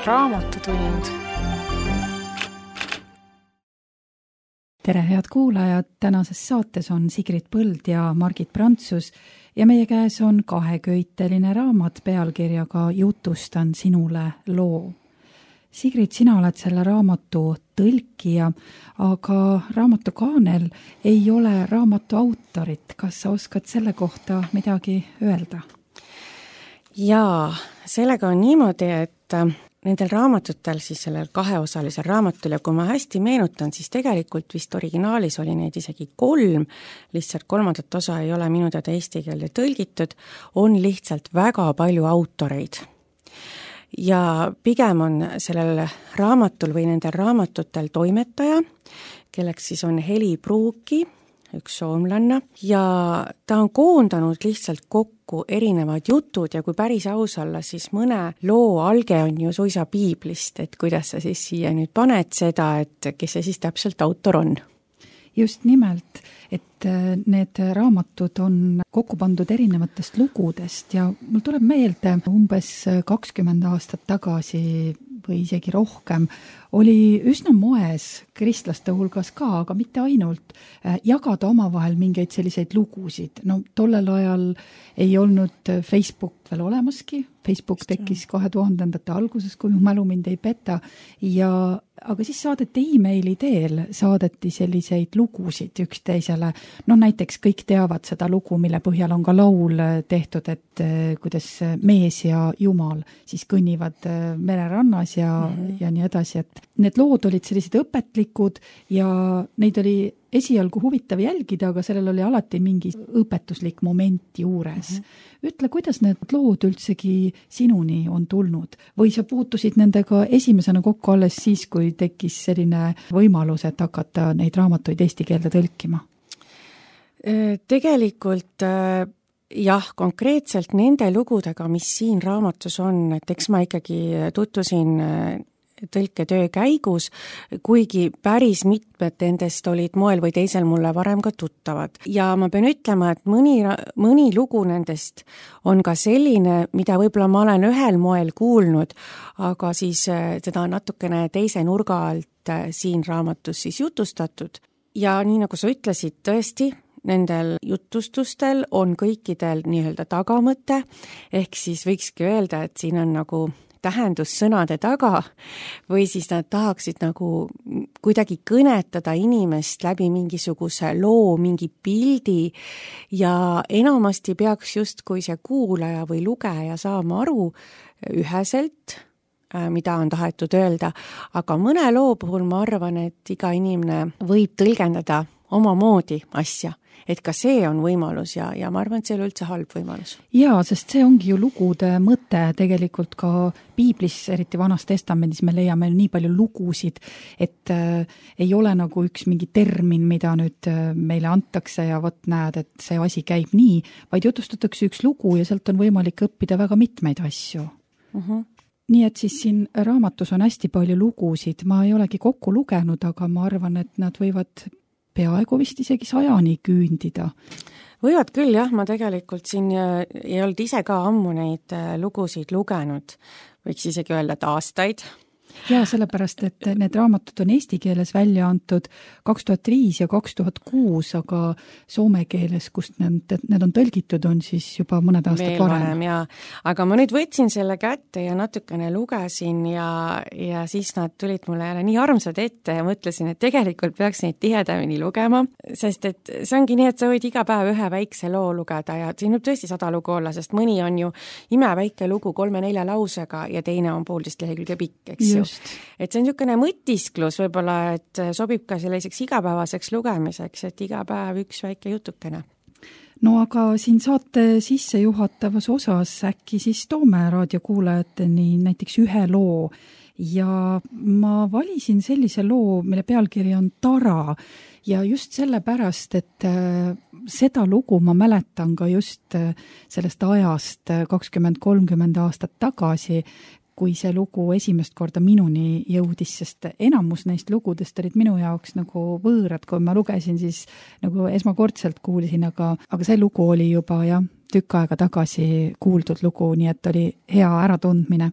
Raamatutund. Tere, head kuulajad! Tänases saates on Sigrid Põld ja Margit Prantsus ja meie käes on kaheköiteline raamat pealkirjaga Jutustan sinule loo. Sigrid, sina oled selle raamatu tõlkija, aga raamatu kaanel ei ole raamatu autorit. Kas sa oskad selle kohta midagi öelda? Jaa, sellega on niimoodi, et nendel raamatutel, siis sellel kaheosalisel raamatul, ja kui ma hästi meenutan, siis tegelikult vist originaalis oli neid isegi 3, lihtsalt 3. osa ei ole minu teada eesti keelde tõlgitud, on lihtsalt väga palju autoreid. Ja pigem on sellel raamatul või nendel raamatutel toimetaja, kelleks siis on Heli Pruuki, üks soomlanna, ja ta on koondanud lihtsalt kokku erinevad jutud ja kui päris aus olla, siis mõne loo alge on ju suisa piiblist, et kuidas sa siis siia nüüd paned seda, et kes see siis täpselt autor on. Just nimelt, et need raamatud on kokku pandud erinevatest lugudest ja mul tuleb meelde umbes 20 aastat tagasi või isegi rohkem, oli üsna moes kristlaste hulgas ka, aga mitte ainult, jagada omavahel mingeid selliseid lugusid. No tollel ajal ei olnud Facebook veel olemaski, Facebook tekkis 2000. alguses, kui mu mälu mind ei peta, aga siis saadeti e-maili teel, saadeti selliseid lugusid üksteisele. No näiteks kõik teavad seda lugu, mille põhjal on ka laul tehtud, et kuidas mees ja jumal siis kõnnivad mererannas ja nii edasi, et need lood olid sellised õpetlikud ja neid oli esialgu huvitav jälgida, aga sellel oli alati mingi õpetuslik moment juures. Ütle, kuidas need lood üldsegi sinuni on tulnud? Või sa puutusid nendega esimesena kokku alles siis, kui tekkis selline võimalus, et hakata neid raamatuid eesti keelde tõlkima? Tegelikult jah, konkreetselt nende lugudega, mis siin raamatus on, et eks ma ikkagi tutvusin tõlketöö käigus, kuigi päris mitmed nendest olid moel või teisel mulle varem ka tuttavad. Ja ma pean ütlema, et mõni lugu nendest on ka selline, mida võib-olla ma olen ühel moel kuulnud, aga siis seda natukene teise nurga alt siin raamatus siis jutustatud. Ja nii nagu sa ütlesid, tõesti, nendel jutustustel on kõikidel nii-öelda tagamõte, ehk siis võikski öelda, et siin on nagu tähendussõnade taga või siis nad tahaksid nagu kuidagi kõnetada inimest läbi mingisuguse loo, mingi pildi ja enamasti peaks justkui see kuulaja või lugeja saama aru üheselt, mida on tahetud öelda, aga mõne loo puhul ma arvan, et iga inimene võib tõlgendada omamoodi asja. Et ka see on võimalus ja ma arvan, et see on üldse halb võimalus. Jaa, sest see ongi ju lugude mõte tegelikult ka piiblis, eriti Vanas Testamendis me leiame nii palju lugusid, et ei ole nagu üks mingi termin, mida nüüd meile antakse ja võt näed, et see asi käib nii, vaid jutustatakse üks lugu ja sealt on võimalik õppida väga mitmeid asju. Nii et siis siin raamatus on hästi palju lugusid, ma ei olegi kokku lugenud, aga ma arvan, et nad võivad peaaegu vist isegi 100 küündida. Võivad küll, jah, ma tegelikult siin ei olnud ise ka ammu neid lugusid lugenud, võiks isegi öelda, et aastaid. Jaa, sellepärast, et need raamatud on eesti keeles välja antud 2005 ja 2006, aga soome keeles, kust need on tõlgitud, on siis juba mõned aastad varem. Jaa. Aga ma nüüd võtsin selle kätte ja natukene lugesin ja siis nad tulid mulle jälle nii armsad ette ja mõtlesin, et tegelikult peaks neid tihedamini lugema, sest et see ongi nii, et sa võid iga päev ühe väikse loo lugeda ja siin võib tõesti 100 lugu olla, sest mõni on ju imeväike lugu 3-4 lausega ja teine on 1,5 lehekülge pikk, eks ju. Et see on niisugune mõtisklus võib-olla, et sobib ka selliseks igapäevaseks lugemiseks, et iga päev üks väike jutukene. No aga siin saate sissejuhatavas osas äkki siis toome raadiokuulajateni näiteks ühe loo ja ma valisin sellise loo, mille pealkiri on Tara ja just sellepärast, et seda lugu ma mäletan ka just sellest ajast 20-30 aastat tagasi, kui see lugu esimest korda minuni jõudis, sest enamus neist lugudest olid minu jaoks nagu võõrad, kui ma lugesin, siis nagu esmakordselt kuulsin, aga see lugu oli juba tükk aega tagasi kuuldud lugu, nii et oli hea äratundmine.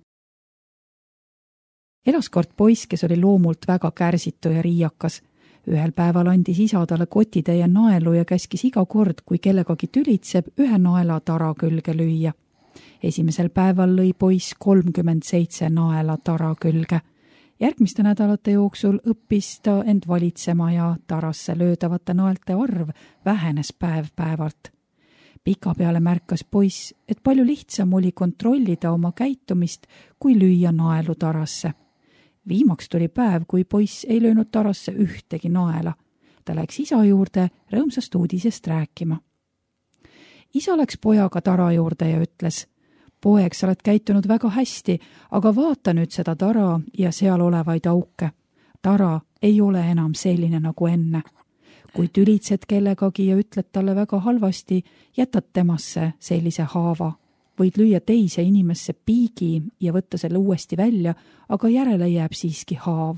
Elas kord poiss, kes oli loomult väga kärsitu ja riiakas. Ühel päeval andis isa talle kotitäie naelu ja käskis iga kord, kui kellegagi tülitseb, ühe naela tara külge lüüa. Esimesel päeval lõi poiss 37 naela tara külge. Järgmiste nädalate jooksul õppis ta end valitsema ja tarasse löödavate naelte arv vähenes päev-päevalt. Pika peale märkas poiss, et palju lihtsam oli kontrollida oma käitumist, kui lüüa naelu tarasse. Viimaks tuli päev, kui poiss ei löönud tarasse ühtegi naela. Ta läks isa juurde rõõmsast uudisest rääkima. Isa läks pojaga tara juurde ja ütles: "Poeg, sa oled käitunud väga hästi, aga vaata nüüd seda tara ja seal olevaid auke. Tara ei ole enam selline nagu enne. Kui tülitsed kellegagi ja ütled talle väga halvasti, jätad temasse sellise haava. Võid lüüa teise inimesse piigi ja võtta selle uuesti välja, aga järele jääb siiski haav.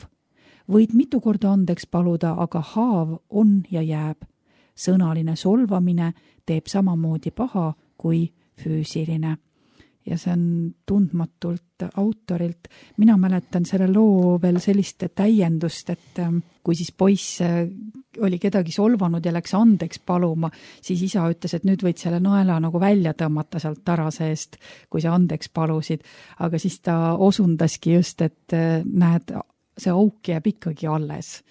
Võid mitu korda andeks paluda, aga haav on ja jääb. Sõnaline solvamine teeb samamoodi paha kui füüsiline." Ja see on tundmatult autorilt. Mina mäletan selle loo veel sellist täiendust, et kui siis poiss oli kedagi solvanud ja läks andeks paluma, siis isa ütles, et nüüd võid selle naela nagu välja tõmmata sealt tara seest, kui sa andeks palusid. Aga siis ta osundaski just, et näed, see auk jääb ikkagi alles.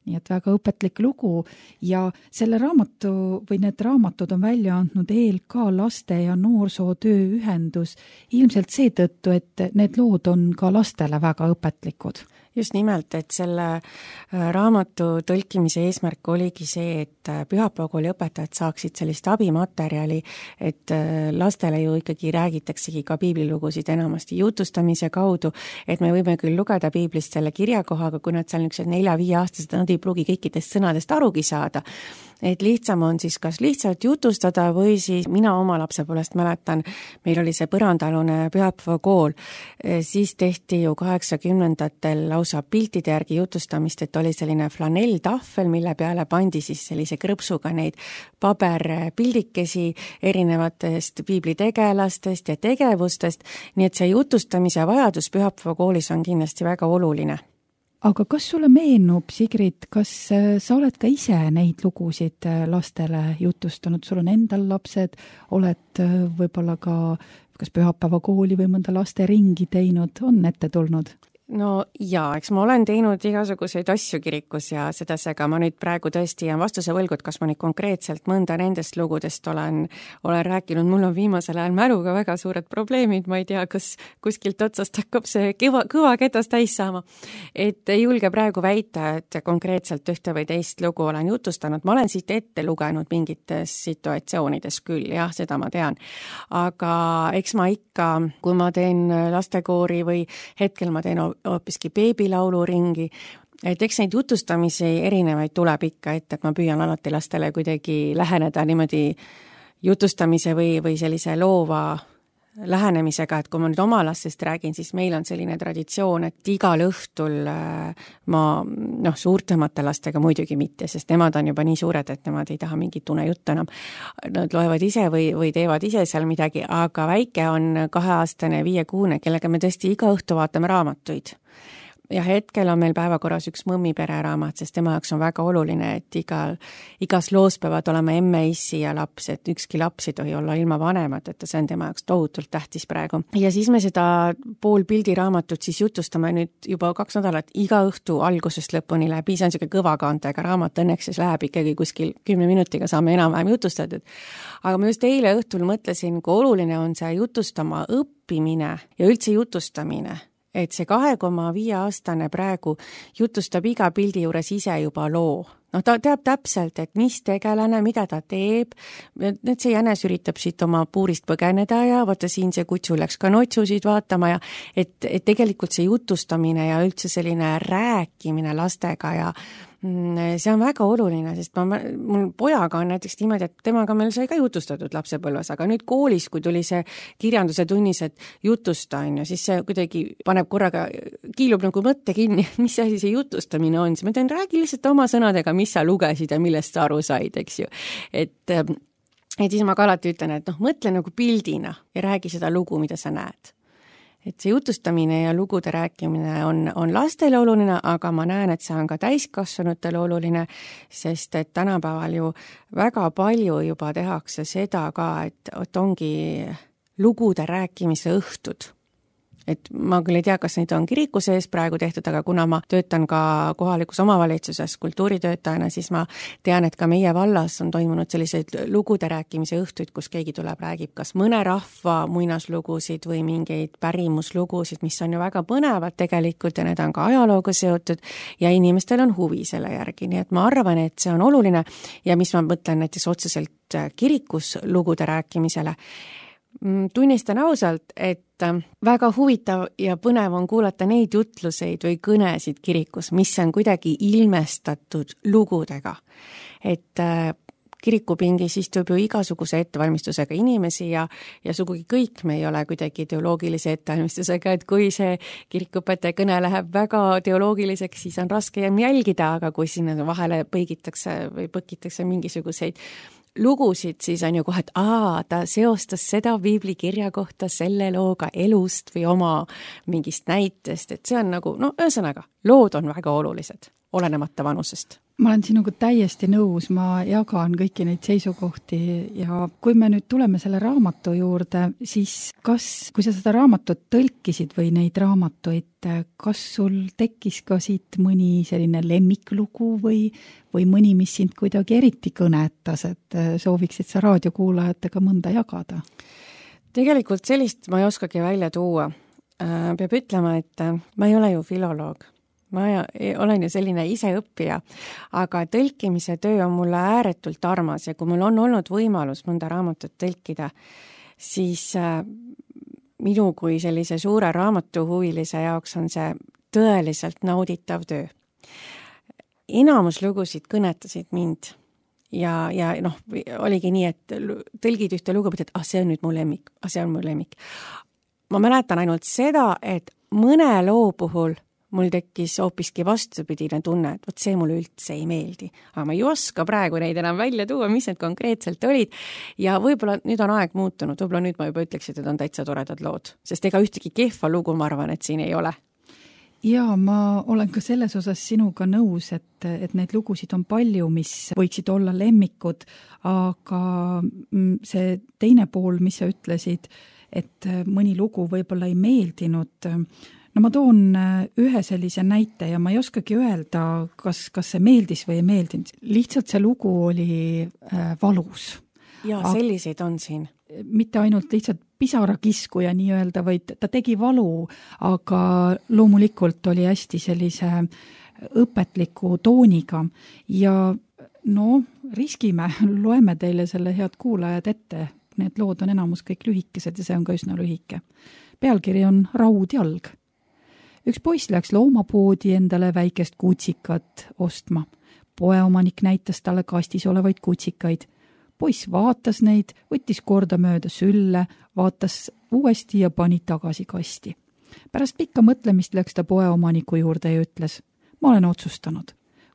Nii et väga õpetlik lugu ja selle raamatu või need raamatud on välja andnud ELK laste- ja noorsootöö ühendus ilmselt seetõttu, et need lood on ka lastele väga õpetlikud. Just nimelt, et selle raamatu tõlkimise eesmärk oligi see, et pühapäevakooli õpetajad saaksid sellist abimaterjali, et lastele ju ikkagi räägitaksegi ka piiblilugusid enamasti jutustamise kaudu, et me võime küll lugeda piiblist selle kirjakohaga, kui nad seal niisugused 4-5-aastased, nad ei pruugi kõikidest sõnadest arugi saada. Et lihtsam on siis kas lihtsalt jutustada või siis mina oma lapsepõlvest mäletan, meil oli see põrandalune pühapäevakool, siis tehti ju 80-ndatel lausa piltide järgi jutustamist, et oli selline flanelltahvel, mille peale pandi siis sellise krõpsuga neid paberpildikesi erinevatest piiblitegelastest ja tegevustest, nii et see jutustamise vajadus pühapäevakoolis on kindlasti väga oluline. Aga kas sulle meenub, Sigrid, kas sa oled ka ise neid lugusid lastele jutustanud? Sul on endal lapsed, oled võib-olla ka kas pühapäevakooli või mõnda lasteringi teinud, on ette tulnud? No jaa, eks ma olen teinud igasuguseid asju kirikus ja sedasega ma nüüd praegu tõesti jään vastuse võlgu, et kas ma nüüd konkreetselt mõnda nendest lugudest olen rääkinud. Mul on viimasel ajal mäluga väga suured probleemid, ma ei tea, kas kuskilt otsast hakkab see kõva ketas täis saama. Et ei julge praegu väita, et konkreetselt ühte või teist lugu olen jutustanud. Ma olen siit ette lugenud mingites situatsioonides küll, jah, seda ma tean. Aga eks ma ikka, kui ma teen lastekoori või hetkel ma teen hoopiski beebilauluringi, et eks neid jutustamisi erinevaid tuleb ikka ette, et ma püüan alati lastele kuidagi läheneda niimoodi jutustamise või sellise loova lähenemisega, et kui ma nüüd oma lastest räägin, siis meil on selline traditsioon, et igal õhtul ma, suurtemate lastega muidugi mitte, sest nemad on juba nii suured, et nemad ei taha mingit unejuttu enam. Nad loevad ise või teevad ise seal midagi, aga väike on 2-aastane, 5-kuune, kellega me tõesti iga õhtu vaatame raamatuid. Ja hetkel on meil päevakorras üks mõmmi pereraamat, sest tema jaoks on väga oluline, et igas loos peavad olema emme, issi ja laps, et ükski laps ei tohi olla ilma vanemat, et see on tema jaoks tohutult tähtis praegu. Ja siis me seda pool pildiraamatut siis jutustame nüüd juba 2 nädalat iga õhtu algusest lõpuni läbi, see on selline kõvakaantega raamat, õnneks siis läheb ikkagi kuskil 10 minutiga saame enam-vähem jutustatud. Aga ma just eile õhtul mõtlesin, kui oluline on see jutustama õppimine ja üldse jutustamine. Et see 2,5-aastane praegu jutustab iga pildi juures ise juba loo. Ta teab täpselt, et mis tegelane, mida ta teeb, et see jänes üritab siit oma puurist põgeneda ja vaata siin see kutsu läks ka notsusid vaatama ja et tegelikult see jutustamine ja üldse selline rääkimine lastega ja see on väga oluline, sest mul pojaga on näiteks niimoodi, et temaga meil sai ka jutustatud lapsepõlves, aga nüüd koolis, kui tuli see kirjanduse tunnis, et jutusta on ju, siis see kuidagi paneb korraga, kiilub nagu mõtte kinni, mis asi see jutustamine on, siis ma ütlen, räägi lihtsalt oma sõnadega, mis sa lugesid ja millest sa aru said, eks ju. Et siis ma ka alati ütlen, et mõtle nagu pildina ja räägi seda lugu, mida sa näed. et see jutustamine ja lugude rääkimine on lastele oluline, aga ma näen, et see on ka täiskasvanutele oluline, sest et tänapäeval ju väga palju juba tehakse seda ka, et ongi lugude rääkimise õhtud. Et ma küll ei tea, kas neid on kiriku sees praegu tehtud, aga kuna ma töötan ka kohalikus omavalitsuses kultuuritöötajana, siis ma tean, et ka meie vallas on toimunud selliseid lugude rääkimise õhtuid, kus keegi tuleb, räägib kas mõne rahva muinaslugusid või mingeid pärimuslugusid, mis on ju väga põnevad tegelikult ja need on ka ajalooga seotud ja inimestel on huvi selle järgi, nii et ma arvan, et see on oluline ja mis ma mõtlen näiteks otseselt kirikus lugude rääkimisele, tunnistan ausalt, et väga huvitav ja põnev on kuulata neid jutluseid või kõnesid kirikus, mis on kuidagi ilmestatud lugudega. Et kirikupingis istub ju igasuguse ettevalmistusega inimesi ja sugugi kõik me ei ole kuidagi teoloogilise ettevalmistusega, et kui see kirikuõpetaja kõne läheb väga teoloogiliseks, siis on raske jälgida, aga kui sinna vahele põigitakse või põkitakse mingisuguseid lugusid, siis on ju kohe, et ta seostas seda piiblikirja kohta selle looga elust või oma mingist näitest, et see on nagu, ühesõnaga, lood on väga olulised, olenemata vanusest. Ma olen sinuga täiesti nõus, ma jagan kõiki neid seisukohti ja kui me nüüd tuleme selle raamatu juurde, siis kui sa seda raamatut tõlkisid või neid raamatuid, kas sul tekkis ka siit mõni selline lemmiklugu või mõni, mis sind kuidagi eriti kõnetas, et sooviksid sa raadiokuulajatega mõnda jagada? Tegelikult sellist ma ei oskagi välja tuua. Peab ütlema, et ma ei ole ju filoloog. Ma olen ju selline iseõppija, aga tõlkimise töö on mulle ääretult armas ja kui mul on olnud võimalus mõnda raamatut tõlkida, siis minu kui sellise suure raamatuhuvilise jaoks on see tõeliselt nauditav töö. Enamus lugusid kõnetasid mind ja oligi nii, et tõlgid ühte lugu, et see on nüüd mu lemmik, see on mu lemmik. Ma mäletan ainult seda, et mõne loo puhul mul tekkis hoopiski vastupidine tunne, et see mulle üldse ei meeldi. Aga ma ei oska praegu neid enam välja tuua, mis need konkreetselt olid. Ja võib-olla nüüd on aeg muutunud, võib-olla nüüd ma juba ütleksin, et on täitsa toredad lood. Sest ega ühtegi kehva lugu, ma arvan, et siin ei ole. Ja ma olen ka selles osas sinuga nõus, et neid lugusid on palju, mis võiksid olla lemmikud, aga see teine pool, mis sa ütlesid, et mõni lugu võib-olla ei meeldinud. Ma toon ühe sellise näite ja ma ei oskagi öelda, kas see meeldis või ei meeldinud. Lihtsalt see lugu oli valus. Ja selliseid on siin. Mitte ainult lihtsalt pisarakiskuja nii öelda, vaid ta tegi valu, aga loomulikult oli hästi sellise õpetliku tooniga. Ja riskime, loeme teile selle head kuulajad ette. Need lood on enamus kõik lühikesed ja see on ka üsna lühike. Pealkiri on Raudjalg. Üks poiss läks loomapoodi endale väikest kutsikat ostma. Poeomanik näitas talle kastis olevaid kutsikaid. Poiss vaatas neid, võttis korda mööda sülle, vaatas uuesti ja pani tagasi kasti. Pärast pikka mõtlemist läks ta poeomaniku juurde ja ütles, ma olen otsustanud,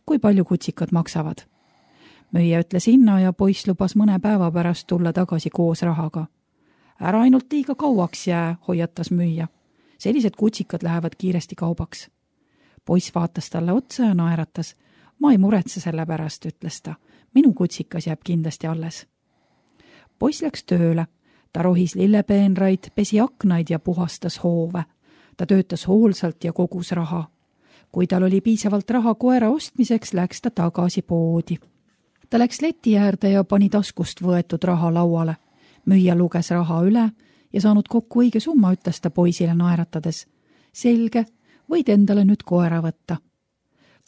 kui palju kutsikad maksavad. Müüja ütles hinna ja poiss lubas mõne päeva pärast tulla tagasi koos rahaga. Ära ainult liiga kauaks jää, hoiatas müüja. Sellised kutsikad lähevad kiiresti kaubaks. Poiss vaatas talle otsa ja naeratas. Ma ei muretse selle pärast, ütles ta. Minu kutsikas jääb kindlasti alles. Poiss läks tööle. Ta rohis lillepeenraid, pesi aknaid ja puhastas hoove. Ta töötas hoolsalt ja kogus raha. Kui tal oli piisavalt raha koera ostmiseks, läks ta tagasi poodi. Ta läks leti äärde ja pani taskust võetud raha lauale. Müüja luges raha üle ja saanud kokku õige summa, ütles ta poisile naeratades. Selge, võid endale nüüd koera võtta.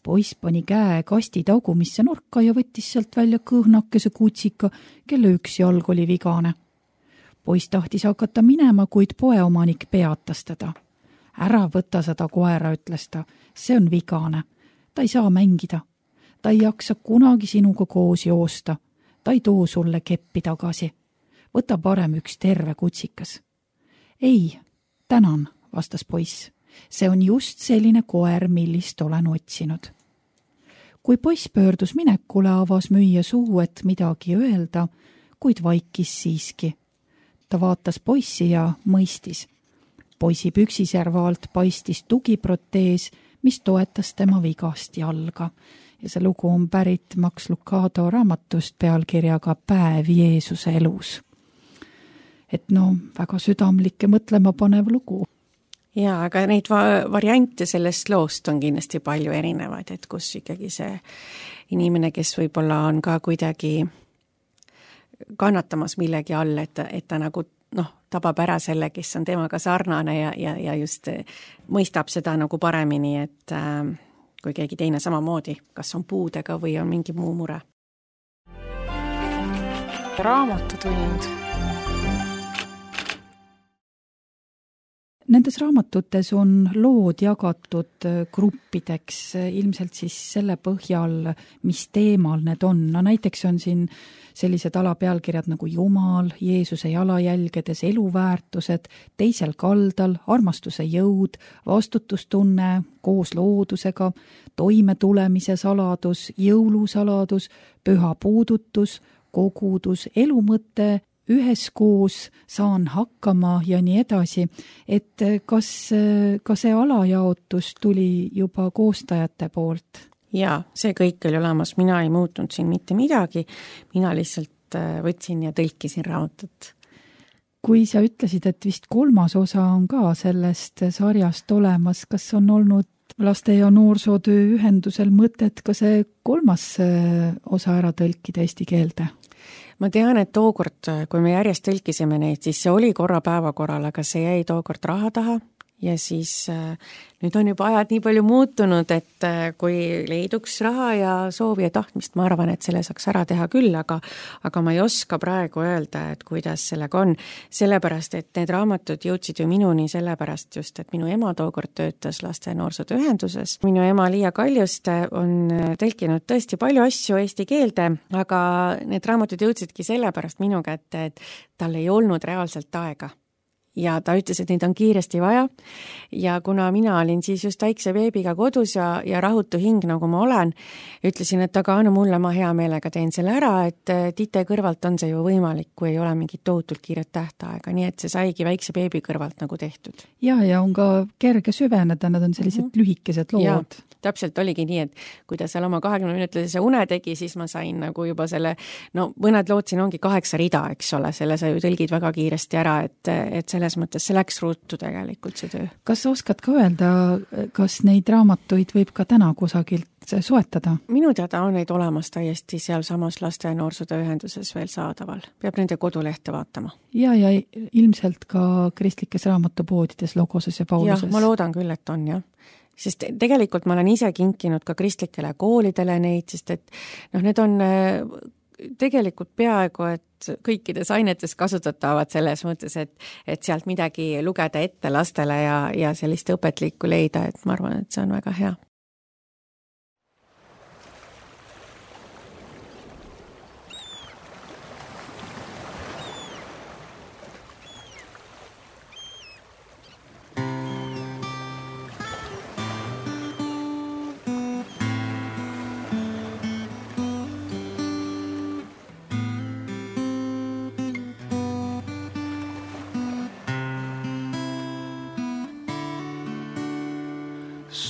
Poiss pani käe kasti tagumisse nurka ja võttis sealt välja kõhnakese kutsika, kelle üks jalg oli vigane. Poiss tahtis hakata minema, kuid poeomanik peatas teda. Ära võta seda koera, ütles ta. See on vigane. Ta ei saa mängida. Ta ei jaksa kunagi sinuga koos joosta. Ta ei too sulle keppi tagasi. Võta parem üks terve kutsikas. Ei, tänan, vastas poiss. See on just selline koer, millist olen otsinud. Kui poiss pöördus minekule, avas müüja suu, et midagi öelda, kuid vaikis siiski. Ta vaatas poissi ja mõistis. Poisi püksiservaalt paistis tugiprotees, mis toetas tema vigast jalga. Ja see lugu on pärit Max Lucado raamatust pealkirjaga Päev Jeesuse elus. Et väga südamlik ja mõtlema panev lugu. Jaa, aga neid variante sellest loost on kindlasti palju erinevaid, et kus ikkagi see inimene, kes võib-olla on ka kuidagi kannatamas millegi all, et ta nagu tabab ära selle, kes on temaga sarnane ja just mõistab seda nagu paremini, et kui keegi teine samamoodi, kas on puudega või on mingi muu mure. Raamatutund. Nendes raamatutes on lood jagatud gruppideks, ilmselt siis selle põhjal, mis teemal need on. Näiteks on siin sellised alapealkirjad nagu Jumal, Jeesuse jalajälgedes eluväärtused, teisel kaldal, armastuse jõud, vastutustunne, koos loodusega, toimetulemise saladus, jõulusaladus, püha puudutus, kogudus, elumõte, üheskoos saan hakkama ja nii edasi, et kas see alajaotus tuli juba koostajate poolt? Jaa, see kõik oli olemas, mina ei muutnud siin mitte midagi, mina lihtsalt võtsin ja tõlkisin raamatut. Kui sa ütlesid, et vist 3. osa on ka sellest sarjast olemas, kas on olnud laste- ja noorsootöö ühendusel mõtet ka see 3. osa ära tõlkida eesti keelde? Ma tean, et tookord, kui me järjest tõlkisime neid, siis see oli korra päevakorral, aga see jäi tookord raha taha ja siis nüüd on juba ajad nii palju muutunud, et kui leiduks raha ja soovi ja tahtmist, ma arvan, et selle saaks ära teha küll, aga ma ei oska praegu öelda, et kuidas sellega on, sellepärast, et need raamatud jõudsid ju minuni sellepärast just, et minu ema tookord töötas laste- ja noorsootöö ühenduses. Minu ema Liia Kaljuste on tõlkinud tõesti palju asju eesti keelde, aga need raamatud jõudsidki sellepärast minu kätte, et tal ei olnud reaalselt aega. Ja ta ütles, et neid on kiiresti vaja ja kuna mina olin siis just väikse beebiga kodus ja rahutu hing, nagu ma olen, ütlesin, et aga anna mulle, ma hea meelega teen selle ära, et tite kõrvalt on see ju võimalik, kui ei ole mingit tohutult kiiret tähtaega, nii et see saigi väikse beebi kõrvalt nagu tehtud. Ja on ka kerge süveneda, nad on sellised lühikesed lood. Ja, täpselt oligi nii, et kui ta seal oma 20-minutilise une tegi, siis ma sain nagu juba selle, mõned lood siin ongi 8 rida, eks ole, selle sa ju tõlgid väga kiiresti ära, et selles mõttes see läks ruutu tegelikult see töö. Kas oskad ka öelda, kas neid raamatuid võib ka täna kusagilt soetada? Minu teada on neid olemas täiesti seal samas laste- ja noorsootöö ühenduses veel saadaval. Peab nende kodulehte vaatama. Ja ilmselt ka kristlikes raamatupoodides Logoses ja Pauluses. Ma loodan küll, et on, jah. Sest tegelikult ma olen ise kinkinud ka kristlikele koolidele neid, sest et need on tegelikult peaaegu, et kõikides ainetes kasutatavad selles mõttes, et sealt midagi lugeda ette lastele ja sellist õpetlikku leida, et ma arvan, et see on väga hea.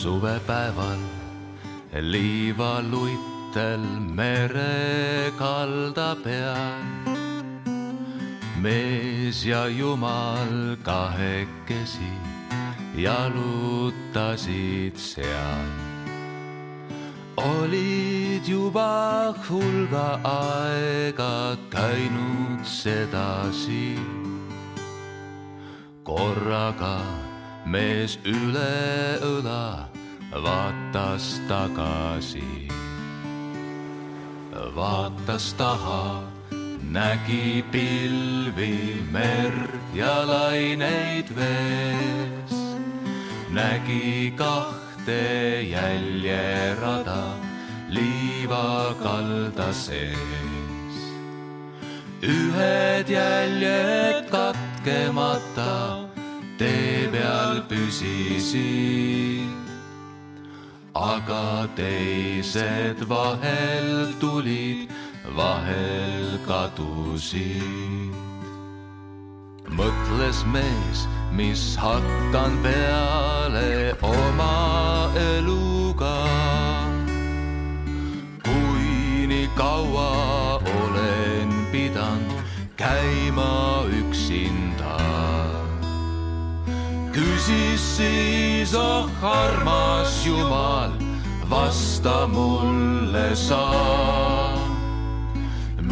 Suvepäeval liivaluitel mere kalda peal. Mees ja Jumal kahekesi jalutasid seal. Olid juba hulga aega käinud sedasi. Korraga mees üle õla vaatas tagasi. Vaatas taha, nägi pilvi, merd ja laineid vees. Nägi 2 jäljerada liivakalda sees. Ühed jäljed katkemata tee peal püsisid, aga teised vahel tulid, vahel kadusid. mõtles mees, mis hakkan peale oma eluga. Kui nii kaua olen pidanud käima üksinda, küsis siis, oh armas Jumal, vasta mulle sa.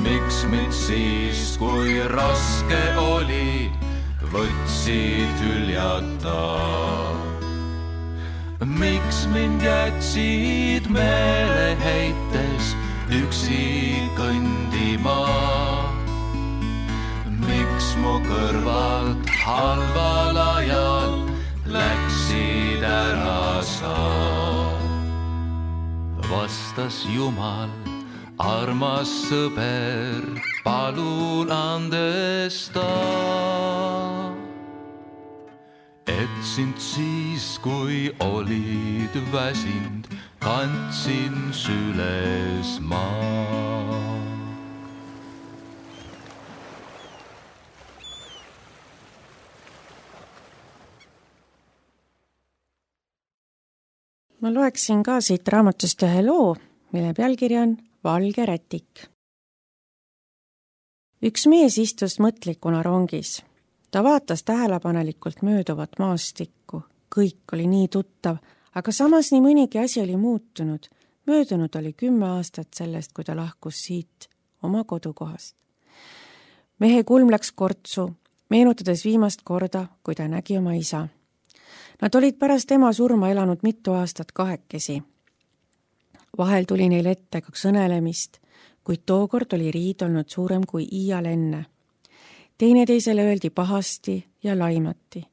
Miks mind siis, kui raske oli, võtsid hüljata? Miks mind jätsid meeleheites üksi kõndima? Miks mu kõrvalt halval ajal läksid ära sa? Vastas Jumal, armas sõber, palun andesta, et sind siis, kui olid väsinud, kandsin süles ma. Ma loeksin ka siit raamatust ühe loo, mille pealkiri on Valge rätik. Üks mees istus mõtlikuna rongis. Ta vaatas tähelepanelikult mööduvat maastikku. Kõik oli nii tuttav, aga samas nii mõnigi asi oli muutunud. Möödunud oli 10 aastat sellest, kui ta lahkus siit oma kodukohast. Mehe kulm läks kortsu, meenutades viimast korda, kui ta nägi oma isa. Nad olid pärast ema surma elanud mitu aastat kahekesi. Vahel tuli neil ette ka sõnelemist, kuid tookord oli riid olnud suurem kui iial enne. Teineteisele öeldi pahasti ja laimati.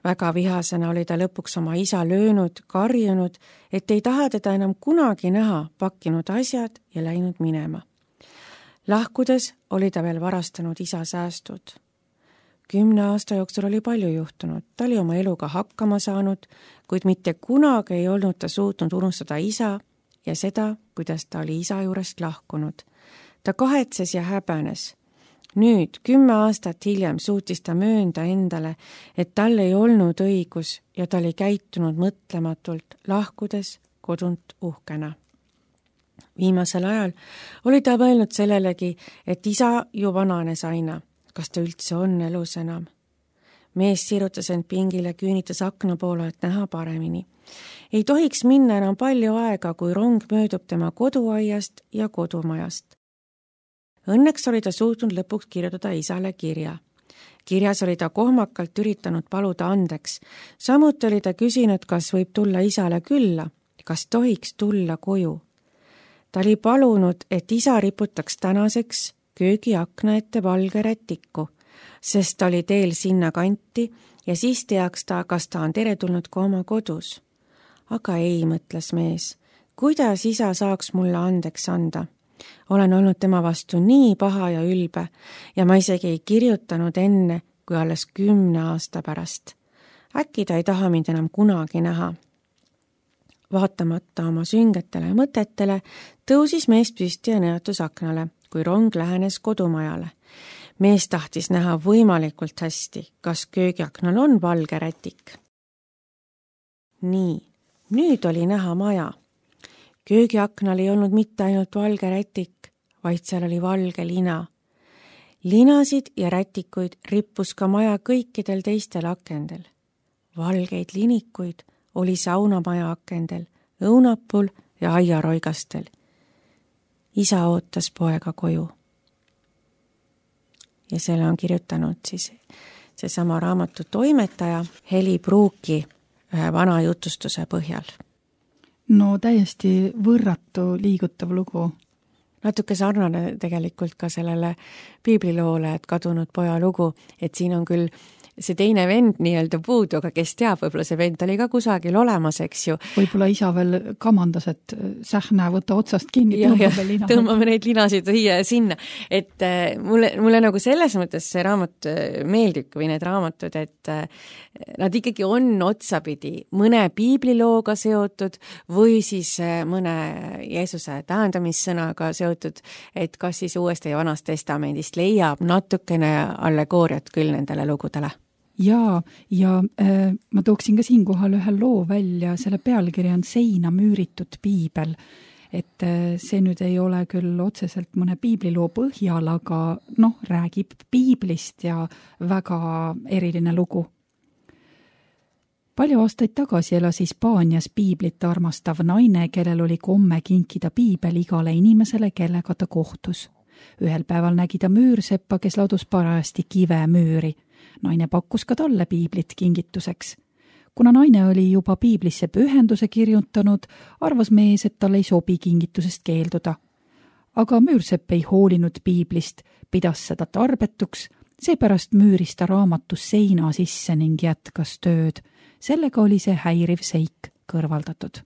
Väga vihasena oli ta lõpuks oma isa löönud, karjunud, et ei taha teda enam kunagi näha, pakkinud asjad ja läinud minema. Lahkudes oli ta veel varastanud isa säästud. 10 aasta jooksul oli palju juhtunud, ta oli oma eluga hakkama saanud, kuid mitte kunagi ei olnud ta suutnud unustada isa ja seda, kuidas ta oli isa juurest lahkunud. Ta kahetses ja häbenes. Nüüd, 10 aastat hiljem suutis ta möönda endale, et tal ei olnud õigus ja ta oli käitunud mõtlematult, lahkudes kodunt uhkena. Viimasel ajal oli ta mõelnud sellelegi, et isa ju vananes aina. Kas ta üldse on elus enam? Mees sirutas end pingile, küünitas akna poole, et näha paremini. Ei tohiks minna enam palju aega, kui rong möödub tema koduaiast ja kodumajast. Õnneks oli ta suutnud lõpuks kirjutada isale kirja. Kirjas oli ta kohmakalt üritanud paluda andeks. Samuti oli ta küsinud, kas võib tulla isale külla, kas tohiks tulla koju. Ta oli palunud, et isa riputaks tänaseks köögiakna ette valge rätiku, sest ta oli teel sinna kanti ja siis teaks ta, kas ta on teretulnud ka oma kodus. Aga ei, mõtles mees, kuidas isa saaks mulle andeks anda? Olen olnud tema vastu nii paha ja ülbe ja ma isegi ei kirjutanud enne, kui alles 10 aasta pärast. Äkki ta ei taha mind enam kunagi näha. Vaatamata oma süngetele mõtetele tõusis mees püsti ja nõjatus aknale, kui rong lähenes kodumajale. Mees tahtis näha võimalikult hästi, kas köögiaknal on valge rätik. Nii, nüüd oli näha maja. Köögiaknal ei olnud mitte ainult valge rätik, vaid seal oli valge lina. Linasid ja rätikuid rippus ka maja kõikidel teistel akendel. Valgeid linikuid oli saunamaja akendel, õunapul ja aiaroigastel. Isa ootas poega koju. Ja selle on kirjutanud siis seesama raamatu toimetaja Heli Pruuki ühe vana jutustuse põhjal. No täiesti võrratu liigutav lugu. Natuke sarnane tegelikult ka sellele piibliloole, et kadunud poja lugu, et siin on küll see teine vend nii-öelda puudu, aga kes teab, võib-olla see vend oli ka kusagil olemas, eks ju. Võib-olla isa veel kamandas, et sähne, võta otsast kinni, tõmbame neid linasid siia ja sinna. Et mulle nagu selles mõttes see raamat meeldib või need raamatud, et nad ikkagi on otsapidi mõne piiblilooga seotud või siis mõne Jeesuse tähendamissõnaga seotud, et kas siis Uuest ja Vanast Testamendist leiab natukene allegooriat küll nendele lugudele. Ja ma tooksin ka siinkohal ühe loo välja, selle pealkiri on Seina müüritud piibel. Et see nüüd ei ole küll otseselt mõne piibliloo põhjal, aga räägib piiblist ja väga eriline lugu. Palju aastaid tagasi elas Hispaanias piiblit armastav naine, kellel oli komme kinkida piibel igale inimesele, kellega ta kohtus. Ühel päeval nägi ta müürseppa, kes ladus parajasti kive müüri. Naine pakkus ka talle piiblit kingituseks. Kuna naine oli juba piiblisse pühenduse kirjutanud, arvas mees, et tal ei sobi kingitusest keelduda. Aga müürsepp ei hoolinud piiblist, pidas seda tarbetuks, seepärast müüris ta raamatus seina sisse ning jätkas tööd. Sellega oli see häiriv seik kõrvaldatud.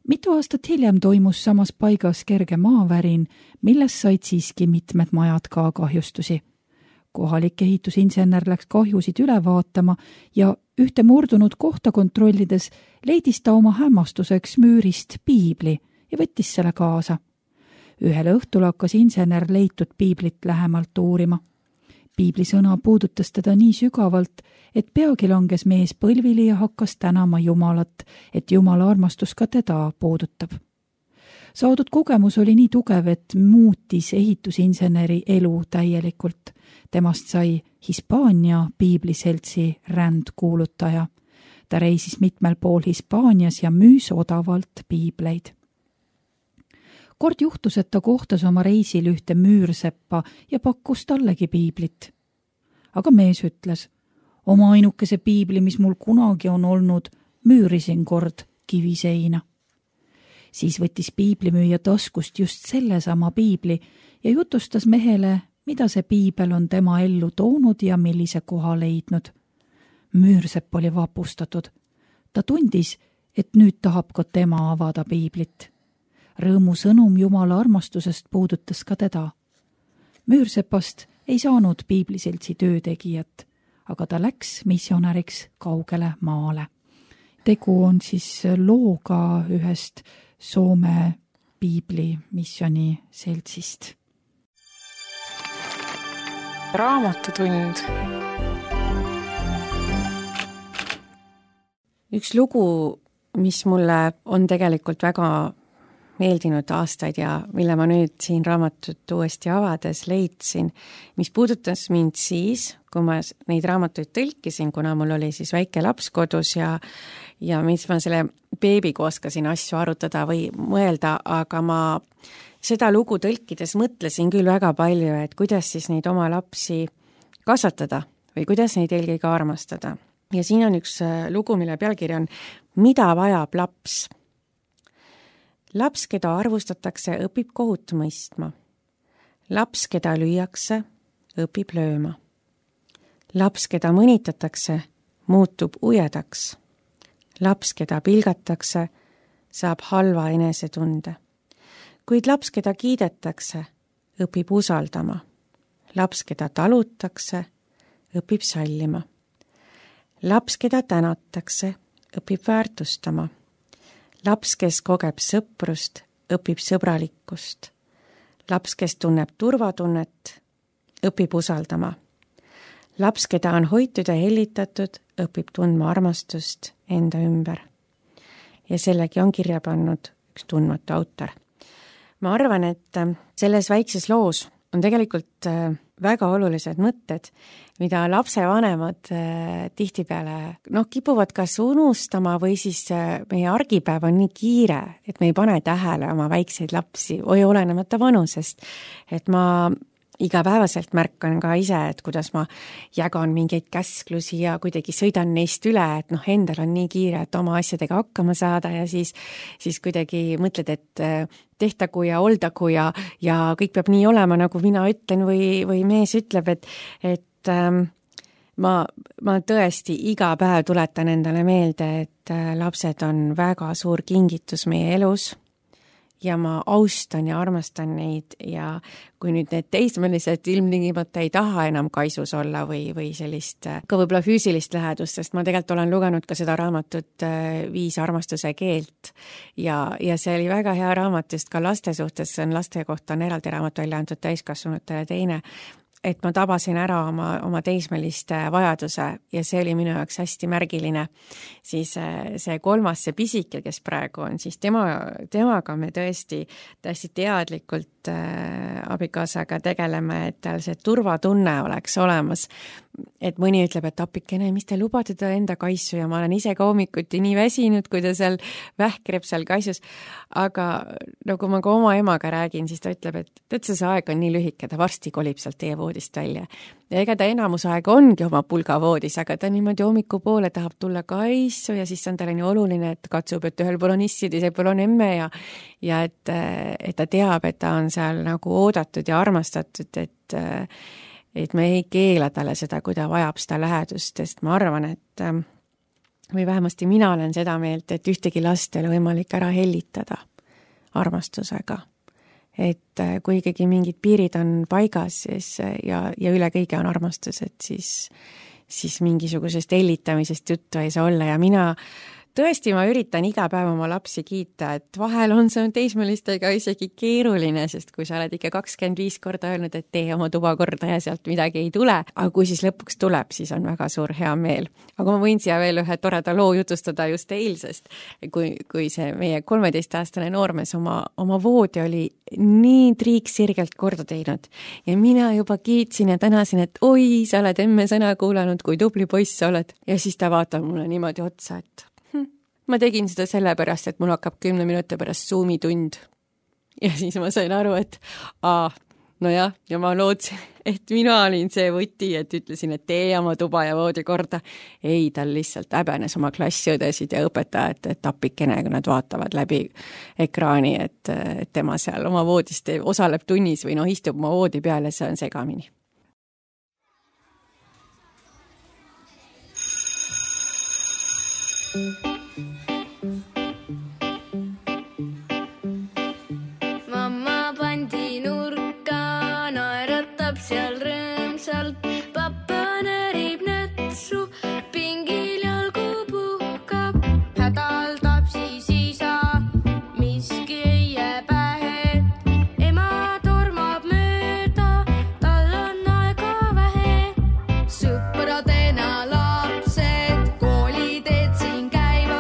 Mitu aastat hiljem toimus samas paigas kerge maavärin, milles said siiski mitmed majad ka kahjustusi. Kohalik ehitusinsener läks kahjusid üle vaatama ja ühte murdunud kohta kontrollides leidis ta oma hämmastuseks müürist piibli ja võttis selle kaasa. Ühel õhtul hakkas insener leitud piiblit lähemalt uurima. Piibli sõna puudutas teda nii sügavalt, et peagi langes mees põlvili ja hakkas tänama Jumalat, et Jumala armastus ka teda puudutab. Saadud kogemus oli nii tugev, et muutis ehitusinseneri elu täielikult. Temast sai Hispaania piibliseltsi rändkuulutaja. Ta reisis mitmel pool Hispaanias ja müüs odavalt piibleid. Kord juhtus, et ta kohtas oma reisil ühte müürseppa ja pakkus tallegi piiblit. Aga mees ütles, oma ainukese piibli, mis mul kunagi on olnud, müürisin kord kiviseina. Siis võttis piiblimüüja taskust just sellesama piibli ja jutustas mehele, mida see piibel on tema ellu toonud ja millise koha leidnud. Müürsepp oli vapustatud. Ta tundis, et nüüd tahab ka tema avada piiblit. Rõõmu sõnum Jumala armastusest puudutas ka teda. Müürsepast ei saanud piibliseltsi töötegijat, aga ta läks missionäriks kaugele maale. Tegu on siis looga ühest Soome piibli missioni seltsist. Raamatutund. Üks lugu, mis mulle on tegelikult väga meeldinud aastaid ja mille ma nüüd siin raamatut uuesti avades leidsin, mis puudutas mind siis, kui ma neid raamatuid tõlkisin, kuna mul oli siis väike laps kodus ja mis ma selle beebiga oskasin asju arutada või mõelda, aga ma seda lugu tõlkides mõtlesin küll väga palju, et kuidas siis neid oma lapsi kasvatada või kuidas neid eelkõige armastada. Ja siin on üks lugu, mille pealkiri on Mida vajab laps? Laps, keda arvustatakse, õpib kohut mõistma. Laps, keda lüüakse, õpib lööma. Laps, keda mõnitatakse, muutub ujedaks. Laps, keda pilgatakse, saab halva enesetunde. Kuid laps, keda kiidetakse, õpib usaldama. Laps, keda talutakse, õpib sallima. Laps, keda tänatakse, õpib väärtustama. Laps, kes kogeb sõprust, õpib sõbralikkust. Laps, kes tunneb turvatunnet, õpib usaldama. Laps, keda on hoitud ja hellitatud, õpib tundma armastust enda ümber. Ja sellegi on kirja pannud üks tundmatu autor. Ma arvan, et selles väikses loos on tegelikult väga olulised mõtted, mida lapsevanemad tihtipeale kipuvad kas unustama või siis meie argipäev on nii kiire, et me ei pane tähele oma väikseid lapsi või olenemata vanusest. Et ma igapäevaselt märkan ka ise, et kuidas ma jagan mingeid käsklusi ja kuidagi sõidan neist üle, et endal on nii kiire, et oma asjadega hakkama saada ja siis kuidagi mõtled, et tehtagu ja oldagu ja kõik peab nii olema, nagu mina ütlen või mees ütleb, et ma tõesti iga päev tuletan endale meelde, et lapsed on väga suur kingitus meie elus ja ma austan ja armastan neid ja kui nüüd need teismelised ilmtingimata ei taha enam kaisus olla või sellist ka võib-olla füüsilist lähedust, sest ma tegelikult olen lugenud ka seda raamatut 5 armastuse keelt ja see oli väga hea raamat just ka laste suhtes, see on laste kohta on eraldi raamat välja antud täiskasvanutele teine, et ma tabasin ära oma teismeliste vajaduse ja see oli minu jaoks hästi märgiline. Siis see 3, see pisike, kes praegu on, siis temaga me tõesti teadlikult abikaasaga tegeleme, et tal see turvatunne oleks olemas. Et mõni ütleb, et apikene, mis te lubate ta enda kaisu ja ma olen ise ka hommikuti nii väsinud, kui ta seal vähkreb seal kaisus. Aga nagu ma ka oma emaga räägin, siis ta ütleb, et see aeg on nii lühike, ta varsti kolib sealt teie voodist välja. Ja ega ta enamus aega ongi oma pulgavoodis, aga ta niimoodi hommikupoole tahab tulla kaisu ja siis on talle nii oluline, et katsub, et ühel pool on issi, teisel pool on emme ja et ta teab, et ta on seal nagu oodatud ja armastatud, et me ei keela talle seda, kui ta vajab seda lähedust, sest ma arvan, et või vähemasti mina olen seda meelt, et ühtegi last ei ole võimalik ära hellitada armastusega. Et kui ikkagi mingid piirid on paigas siis, ja üle kõige on armastus, et siis mingisugusest hellitamisest juttu ei saa olla ja mina tõesti, ma üritan iga päev oma lapsi kiita, et vahel on see teismelistega isegi keeruline, sest kui sa oled ikka 25 korda öelnud, et tee oma tuba korda ja sealt midagi ei tule, aga kui siis lõpuks tuleb, siis on väga suur hea meel. Aga ma võin siia veel ühe toreda loo jutustada just eilsest, kui see meie 13-aastane noormees oma voodi oli nii triiksirgelt korda teinud ja mina juba kiitsin ja tänasin, et oi, sa oled emme sõna kuulanud, kui tubli poiss sa oled. Ja siis ta vaatab mulle niimoodi otsa, et ma tegin seda sellepärast, et mul hakkab 10 minuti pärast Zoomi tund. Ja siis ma sain aru, et nojah, ja ma lootsin, et mina olin see võti, et ütlesin, et tee oma tuba ja voodi korda. Ei, tal lihtsalt häbenes oma klassiõdesid ja õpetajad, et apikene, kui nad vaatavad läbi ekraani, et tema seal oma voodist osaleb tunnis või istub oma voodi peal ja see on segamini. Seal rõõmsalt pappa närib nätsu, pingil jalgu puhkab, hädaldab siis isa, miski ei jää pähe. Ema tormab mööda, tal on aega vähe. Sõpradena lapsed kooliteed siin käivad.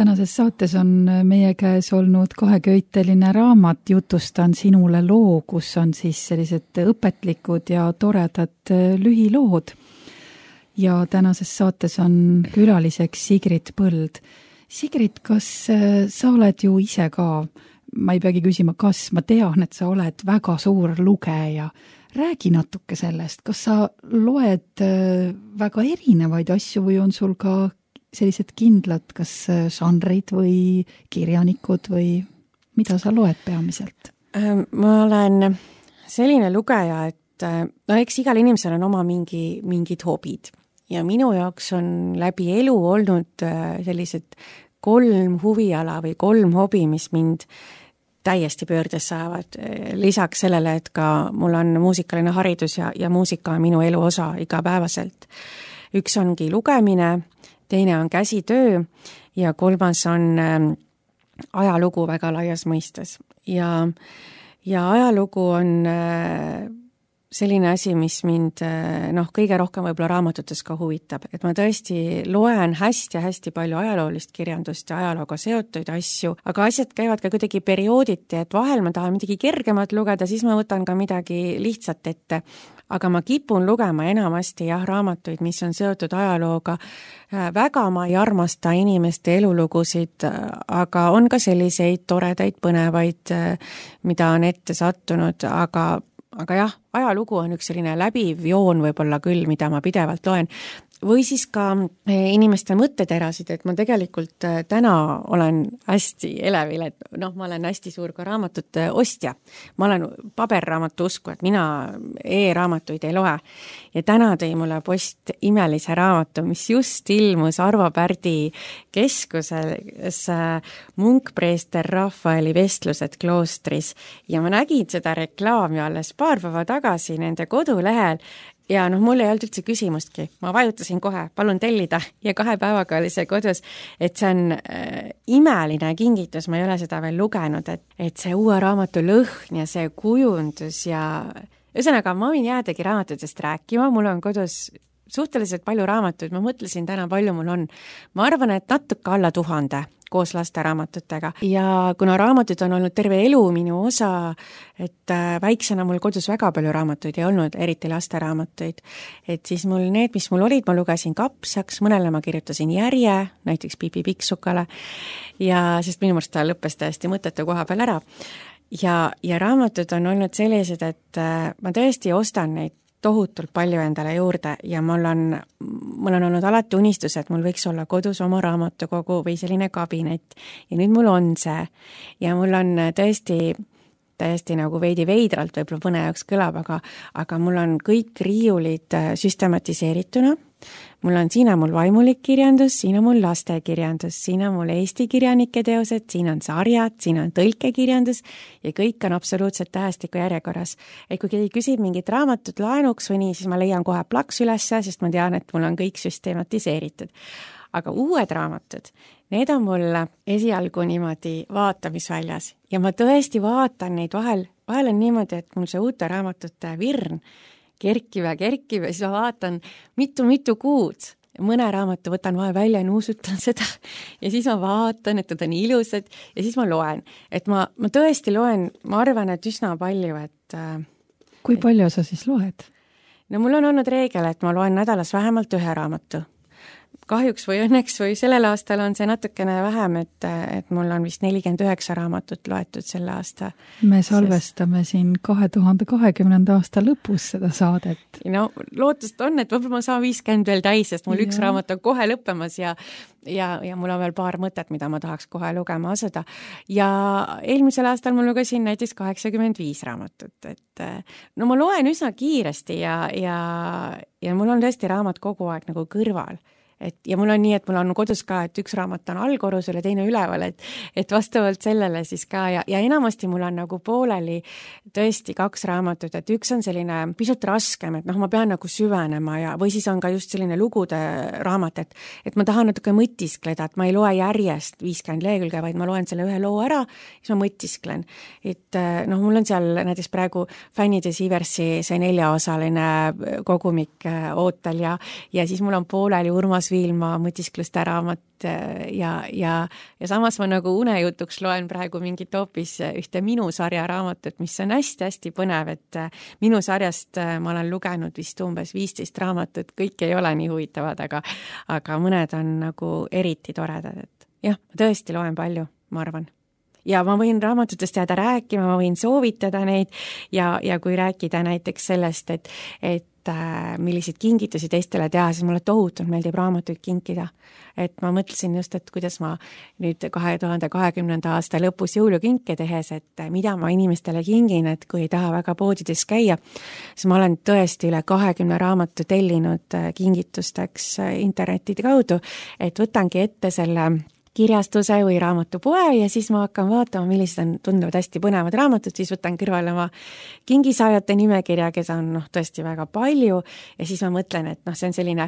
tänases saates on meie käes olnud kaheköiteline raamat Jutustan sinule loo, kus on siis sellised õpetlikud ja toredad lühilood. Ja tänases saates on külaliseks Sigrid Põld. Sigrid, kas sa oled ju ise ka, ma ei peagi küsima, kas ma tean, et sa oled väga suur lugeja. Räägi natuke sellest, kas sa loed väga erinevaid asju või on sul ka sellised kindlad, kas žanrid või kirjanikud või mida sa loed peamiselt? Ma olen selline lugeja, et eks igal inimesel on oma mingid hobid ja minu jaoks on läbi elu olnud sellised 3 huviala või 3 hobi, mis mind täiesti pöördes saavad. Lisaks sellele, et ka mul on muusikaline haridus ja muusika on minu elu osa igapäevaselt. Üks ongi lugemine, teine on käsitöö ja 3. on ajalugu väga laias mõistes. Ja ajalugu on selline asi, mis mind kõige rohkem võib-olla raamatutes ka huvitab, et ma tõesti loen hästi palju ajaloolist kirjandust ja ajalooga seotuid asju, aga asjad käivad ka kuidagi periooditi, et vahel ma tahan midagi kergemat lugeda, siis ma võtan ka midagi lihtsat ette. Aga ma kipun lugema enamasti raamatuid, mis on seotud ajalooga. Väga ma ei armasta inimeste elulugusid, aga on ka selliseid toredaid, põnevaid, mida on ette sattunud, aga jah, ajalugu on üks selline läbiv joon võib-olla küll, mida ma pidevalt loen. Või siis ka inimeste mõtteterasid, et ma tegelikult täna olen hästi elevil, et ma olen hästi suur ka raamatute ostja. Ma olen paberraamatu usku, et mina e-raamatuid ei loe. Ja täna tõi mulle post imelise raamatu, mis just ilmus Arvo Pärdi keskuses munkpreester Rafaeli vestlused kloostris. Ja ma nägin seda reklaami alles paar päeva tagasi nende kodulehel. Ja mul ei olnud üldse küsimustki. Ma vajutasin kohe, palun tellida ja 2 päevaga oli see kodus, et see on imeline kingitus, ma ei ole seda veel lugenud, et see uue raamatu lõhn ja see kujundus ja ühesõnaga ma võin jäädagi raamatutest rääkima, mul on kodus suhteliselt palju raamatuid, ma mõtlesin täna palju mul on. Ma arvan, et natuke alla 1000 koos lasteraamatutega. Ja kuna raamatud on olnud terve elu minu osa, et väiksena mul kodus väga palju raamatuid ei olnud, eriti lasteraamatuid, et siis mul need, mis mul olid, ma lugesin kapsaks, mõnele ma kirjutasin järje, näiteks Pipi Pikksukale, ja sest minu meelest ta lõppes täiesti mõttetu koha peal ära. Ja raamatud on olnud sellised, et ma tõesti ostan neid tohutult palju endale juurde ja mul on olnud alati unistus, et mul võiks olla kodus oma raamatukogu või selline kabinet ja nüüd mul on see ja mul on täiesti nagu veidi veidralt võib-olla mõne jaoks kõlab, aga mul on kõik riiulid süstematiseerituna. Siin on mul vaimulik kirjandus, siin on mul lastekirjandus, siin on mul eesti kirjanike teosed, siin on sarjad, siin on tõlkekirjandus ja kõik on absoluutselt tähestiku järjekorras. Et kui keegi küsib mingit raamatut laenuks või nii, siis ma leian kohe plaks ülesse, sest ma tean, et mul on kõik süstematiseeritud. Aga uued raamatud, need on mul esialgu niimoodi vaatamisväljas ja ma tõesti vaatan neid vahel on niimoodi, et mul see uute raamatute virn kerkib ja siis ma vaatan mitu kuud. Mõne raamatu võtan vahel välja ja nuusutan seda ja siis ma vaatan, et nad on ilusad ja siis ma loen. Et ma tõesti loen, ma arvan, et üsna palju. Kui palju sa siis loed? No mul on olnud reegel, et ma loen nädalas vähemalt 1 raamatu. Kahjuks või õnneks või sellel aastal on see natukene vähem, et mul on vist 49 raamatut loetud selle aasta. Me salvestame siin 2020. aasta lõpus seda saadet. No lootust on, et võib-olla ma saan 50 veel täis, sest mul üks raamat on kohe lõppemas ja mul on veel paar mõtet, mida ma tahaks kohe lugema asuda. Ja eelmisel aastal ma lugesin näiteks 85 raamatut, et ma loen üsna kiiresti ja mul on tõesti raamat kogu aeg nagu kõrval. Ja mul on nii, et mul on kodus ka, et üks raamat on allkorrusel ja teine üleval, et vastavalt sellele siis ka ja enamasti mul on nagu pooleli tõesti 2 raamatut, et üks on selline pisut raskem, et ma pean nagu süvenema või siis on ka just selline lugude raamat, et ma tahan natuke mõtiskleda, et ma ei loe järjest 50 lehekülge, vaid ma loen selle ühe loo ära, siis ma mõtisklen. Et mul on seal näiteks praegu Fännide Siiversi see 4-osaline kogumik ootel ja siis mul on pooleli Urmas Viilma mõtiskluste raamat ja samas ma nagu unejutuks loen praegu mingit hoopis ühte Minu sarja raamatut, mis on hästi-hästi põnev, et Minu sarjast ma olen lugenud vist umbes 15 raamatut, kõik ei ole nii huvitavad, aga mõned on nagu eriti toredad, et jah, ma tõesti loen palju, ma arvan. Ja ma võin raamatutest jääda rääkima, ma võin soovitada neid ja kui rääkida näiteks sellest, et milliseid kingitusi teistele teha, siis mulle tohutult meeldib raamatuid kinkida. Et ma mõtlesin just, et kuidas ma nüüd 2020. aasta lõpus jõulukinke tehes, et mida ma inimestele kingin, et kui ei taha väga poodides käia, siis ma olen tõesti üle 20 raamatu tellinud kingitusteks internetide kaudu, et võtangi ette selle kirjastuse või raamatupoe ja siis ma hakkan vaatama, millised on tunduvad hästi põnevad raamatud, siis võtan kõrvale oma kingisaajate nimekirja, keda on tõesti väga palju ja siis ma mõtlen, et see on selline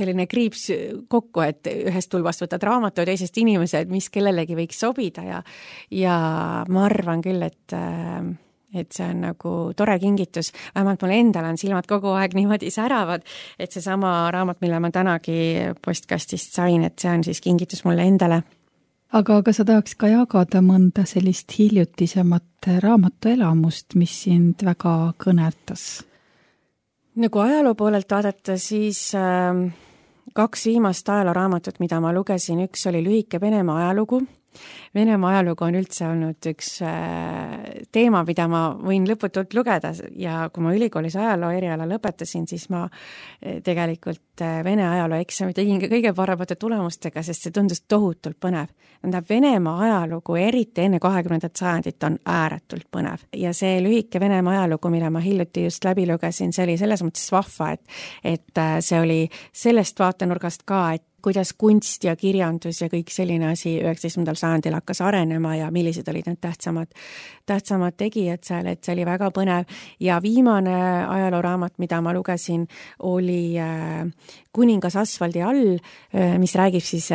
selline kriips kokku, et ühest tulbast võtad raamatu ja teisest inimesed, mis kellelegi võiks sobida ja ma arvan küll, et see on nagu tore kingitus, vähemalt mul endal on silmad kogu aeg niimoodi säravad, et see sama raamat, mille ma tänagi postkastist sain, et see on siis kingitus mulle endale. Aga sa tahaks ka jagada mõnda sellist hiljutisemat raamatuelamust, mis sind väga kõnetas? Nagu ajaloo poolelt vaadata, siis 2 viimast ajalooraamatut, mida ma lugesin, üks oli lühike Venemaa ajalugu. Venemaa ajalugu on üldse olnud üks teema, mida ma võin lõputult lugeda ja kui ma ülikoolis ajaloo eriala lõpetasin, siis ma tegelikult Vene ajaloo eksami tegin ka kõige paremate tulemustega, sest see tundus tohutult põnev. Venemaa ajalugu, eriti enne 20. sajandit, on ääretult põnev ja see lühike Venemaa ajalugu, mille ma hiljuti just läbi lugesin, see oli selles mõttes vahva, et see oli sellest vaatenurgast ka, et kuidas kunst ja kirjandus ja kõik selline asi 19. sajandil hakkas arenema ja millised olid need tähtsamad tegijad seal, et see oli väga põnev. Ja viimane ajalooraamat, mida ma lugesin, oli Kuningas asfaldi all, mis räägib siis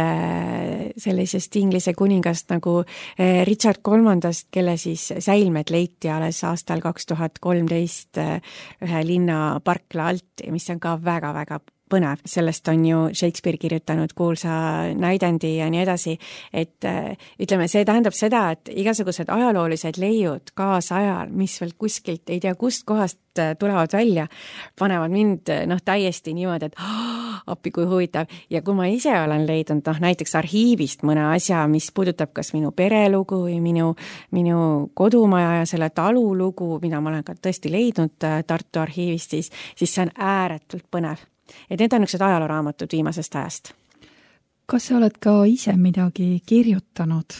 sellisest Inglise kuningast nagu Richard III, kelle siis säilmed leiti alles aastal 2013 ühe linna parkla alt, mis on ka väga-väga põnev. Sellest on ju Shakespeare kirjutanud kuulsa näidendi ja nii edasi, et ütleme, see tähendab seda, et igasugused ajaloolised leiud kaasajal, mis veel kuskilt ei tea kust kohast tulevad välja, panevad mind täiesti niimoodi, et appi kui huvitav. Ja kui ma ise olen leidnud näiteks arhiivist mõne asja, mis puudutab kas minu perelugu või minu kodumaja ja selle talu lugu, mida ma olen ka tõesti leidnud Tartu arhiivist, siis see on ääretult põnev. Et need on üks ajalooraamatud viimasest ajast. Kas sa oled ka ise midagi kirjutanud?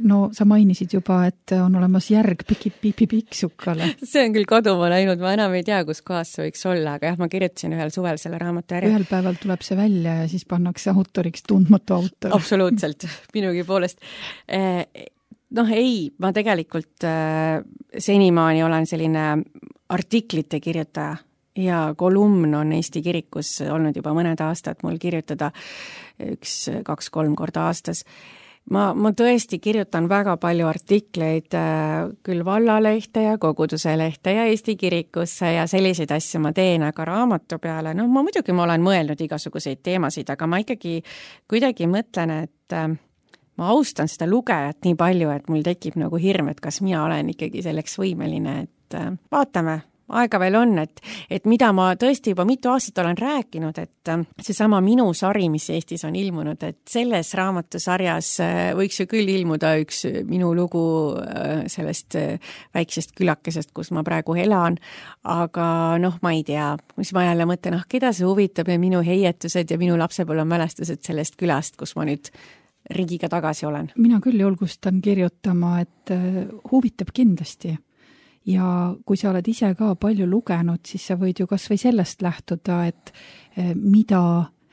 No sa mainisid juba, et on olemas järg Piksukale. See on küll kaduma läinud, ma enam ei tea, kus kohas see võiks olla, aga jah, ma kirjutasin ühel suvel selle raamatu ära. Ühel päeval tuleb see välja ja siis pannakse autoriks tundmatu autor. Absoluutselt, minugi poolest. Ei, ma tegelikult senimaani olen selline artiklite kirjutaja. Ja kolumn on Eesti kirikus olnud juba mõned aastad mul kirjutada 1-2-3 korda aastas. Ma tõesti kirjutan väga palju artikleid küll vallalehte ja koguduse lehte ja Eesti kirikusse ja selliseid asju ma teen, aga raamatu peale, ma olen mõelnud igasuguseid teemasid, aga ma ikkagi kuidagi mõtlen, et ma austan seda lugejat nii palju, et mul tekib nagu hirm, et kas mina olen ikkagi selleks võimeline, et vaatame. Aega veel on, et mida ma tõesti juba mitu aastat olen rääkinud, et seesama Minu sari, mis Eestis on ilmunud, et selles raamatusarjas võiks ju küll ilmuda üks minu lugu sellest väiksest külakesest, kus ma praegu elan, aga ma ei tea, mis ma jälle mõtlen, keda see huvitab ja minu heietused ja minu lapsepõlvemälestused sellest külast, kus ma nüüd ringiga tagasi olen. Mina küll julgustan kirjutama, et huvitab kindlasti. Ja kui sa oled ise ka palju lugenud, siis sa võid ju kas või sellest lähtuda, et mida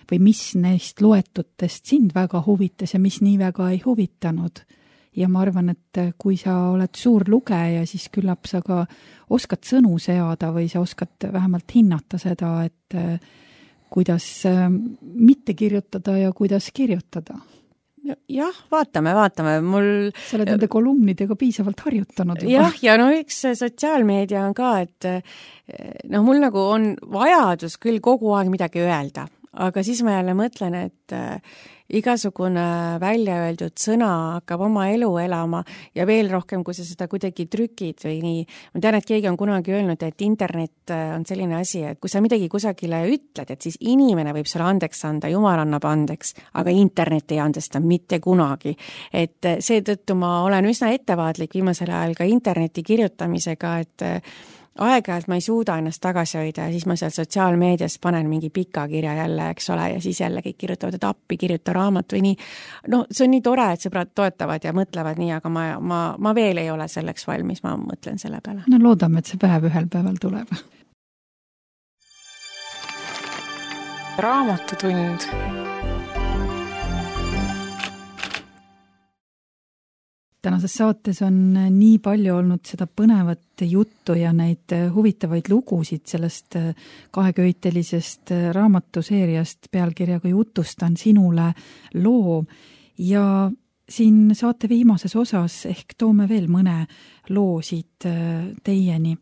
või mis neist loetutest sind väga huvitas ja mis nii väga ei huvitanud. Ja ma arvan, et kui sa oled suur lugeja, siis küllap sa ka oskad sõnu seada või sa oskad vähemalt hinnata seda, et kuidas mitte kirjutada ja kuidas kirjutada. Jah, vaatame, mul... Sa oled nende kolumnidega piisavalt harjutanud juba. Jah, ja üks sotsiaalmeedia on ka, et mul nagu on vajadus küll kogu aeg midagi öelda, aga siis ma jälle mõtlen, et igasugune välja öeldud sõna hakkab oma elu elama ja veel rohkem, kui sa seda kuidagi trükid või nii. Ma tean, et keegi on kunagi öelnud, et internet on selline asi, et kui sa midagi kusagile ütled, et siis inimene võib sulle andeks anda, jumal annab andeks, aga internet ei andesta mitte kunagi. Et seetõttu ma olen üsna ettevaatlik viimasel ajal ka interneti kirjutamisega, et aeg-ajalt ma ei suuda ennast tagasi hoida ja siis ma seal sotsiaalmeedias panen mingi pika kirja jälle, eks ole, ja siis jälle kõik kirjutavad, et appi, kirjuta raamat või nii. No see on nii tore, et sõbrad toetavad ja mõtlevad nii, aga ma veel ei ole selleks valmis, ma mõtlen selle peale. No loodame, et see päev ühel päeval tuleb. Raamatutund. Tänases saates on nii palju olnud seda põnevat juttu ja neid huvitavaid lugusid sellest kaheköitelisest raamatuseeriast pealkirjaga Jutustan sinule loo ja siin saate viimases osas ehk toome veel mõne loo siit teieni.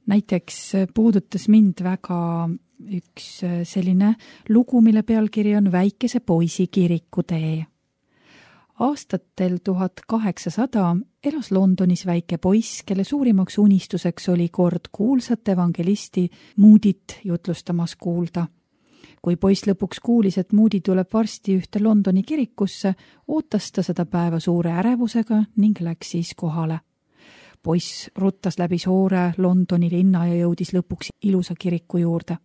Näiteks puudutas mind väga üks selline lugu, mille pealkiri on Väikese poisi kirikutee. Aastatel 1800 elas Londonis väike poiss, kelle suurimaks unistuseks oli kord kuulsat evangelisti Moodit jutlustamas kuulda. Kui poiss lõpuks kuulis, et Moody tuleb varsti ühte Londoni kirikusse, ootas ta seda päeva suure ärevusega ning läks siis kohale. Poiss ruttas läbi suure Londoni linna ja jõudis lõpuks ilusa kiriku juurde.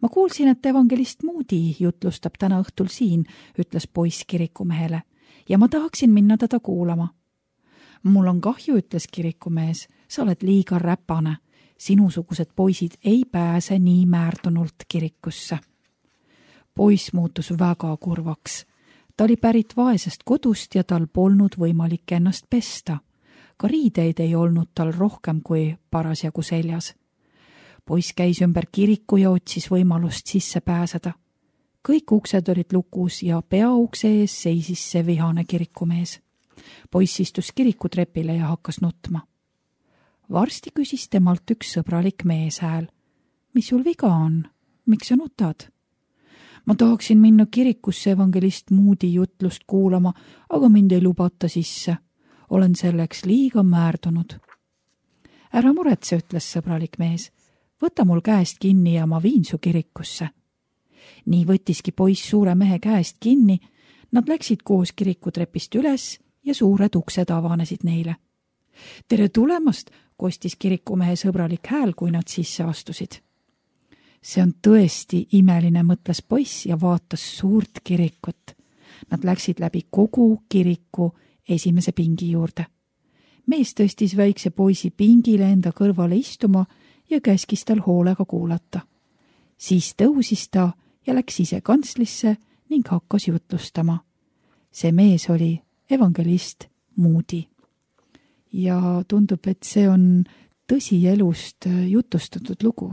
Ma kuulsin, et evangelist Moody jutlustab täna õhtul siin, ütles poiss kirikumehele. Ja ma tahaksin minna teda kuulama. Mul on kahju, ütles kirikumees, sa oled liiga räpane. Sinusugused poisid ei pääse nii määrdunult kirikusse. Poiss muutus väga kurvaks. Ta oli pärit vaesest kodust ja tal polnud võimalik ennast pesta. Ka riideid ei olnud tal rohkem kui parasjagu seljas. Poiss käis ümber kiriku ja otsis võimalust sisse pääseda. Kõik uksed olid lukus ja peaukse ees seisis see vihane kirikumees. Poiss istus kirikutrepile ja hakkas nutma. Varsti küsis temalt üks sõbralik meeshääl. Mis sul viga on? Miks sa nutad? Ma tahaksin minna kirikusse evangelist Moody jutlust kuulama, aga mind ei lubata sisse. Olen selleks liiga määrdunud. Ära muretse, ütles sõbralik mees. Võta mul käest kinni ja ma viin su kirikusse. Nii võttiski poiss suure mehe käest kinni, nad läksid koos kirikutrepist üles ja suured uksed avanesid neile. Tere tulemast, kostis kirikumehe sõbralik hääl, kui nad sisse astusid. See on tõesti imeline, mõtles poiss ja vaatas suurt kirikut. Nad läksid läbi kogu kiriku esimese pingi juurde. Mees tõstis väikse poisi pingile enda kõrvale istuma ja käskis tal hoolega kuulata. Siis tõusis ta ja läks ise kantslisse ning hakkas jutlustama. See mees oli evangelist Moody. Ja tundub, et see on tõsielust jutustatud lugu.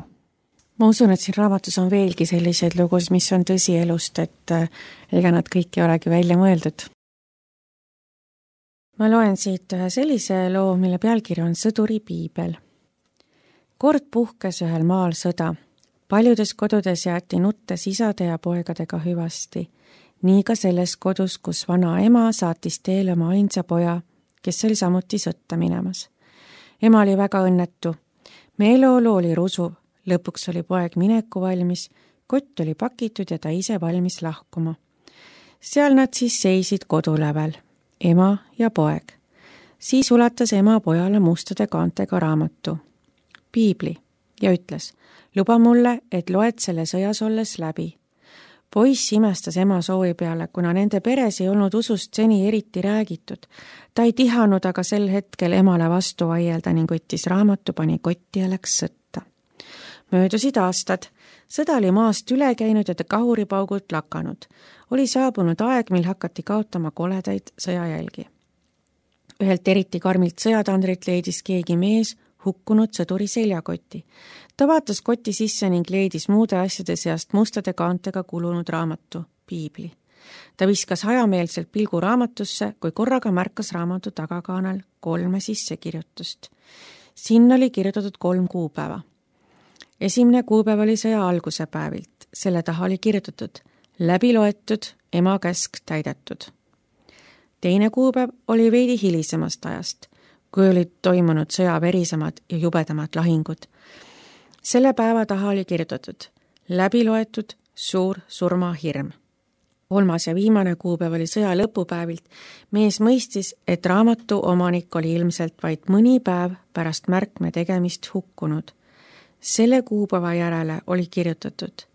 Ma usun, et siin raamatus on veelgi selliseid lugus, mis on tõsielust, et ega nad kõik ei olegi välja mõeldud. Ma loen siit ühe sellise loo, mille pealkiri on Sõduri piibel. Kord puhkes ühel maal sõda. Paljudes kodudes jäeti nuttes isade ja poegadega hüvasti. Nii ka selles kodus, kus vana ema saatis teele oma ainsa poja, kes oli samuti sõtta minemas. Ema oli väga õnnetu. Meeleolu oli rusuv. Lõpuks oli poeg mineku valmis, kott oli pakitud ja ta ise valmis lahkuma. Seal nad siis seisid kodulävel, ema ja poeg. Siis ulatas ema pojale mustade kaantega raamatu, piibli, ja ütles, luba mulle, et loed selle sõjas olles läbi. Poiss imestas ema soovi peale, kuna nende peres ei olnud usust seni eriti räägitud. Ta ei tihanud aga sel hetkel emale vastu vaielda ning võttis raamatu, pani kotti ja läks sõtta. Möödusid aastad. Sõda oli maast üle käinud ja ta kahuripaugult lakanud. Oli saabunud aeg, mil hakati kaotama koledaid sõjajälgi. Ühelt eriti karmilt sõjatandrit leidis keegi mees hukkunud sõduri seljakotti. Ta vaatas koti sisse ning leidis muude asjade seast mustade kaantega kulunud raamatu, piibli. ta viskas hajameelselt pilgu raamatusse, kui korraga märkas raamatu tagakaanel 3 sissekirjutust. Sinna oli kirjutatud 3 kuupäeva. Esimene kuupäev oli sõja alguse päevilt, selle taha oli kirjutatud läbi loetud, ema käsk täidetud. Teine kuupäev oli veidi hilisemast ajast, kui olid toimunud sõja verisemad ja jubedamad lahingud. Selle päeva taha oli kirjutatud läbi loetud, suur surmahirm. 3. ja viimane kuupäev oli sõja lõpupäevilt. Mees mõistis, et raamatu omanik oli ilmselt vaid mõni päev pärast märkme tegemist hukkunud. Selle kuupäeva järele oli kirjutatud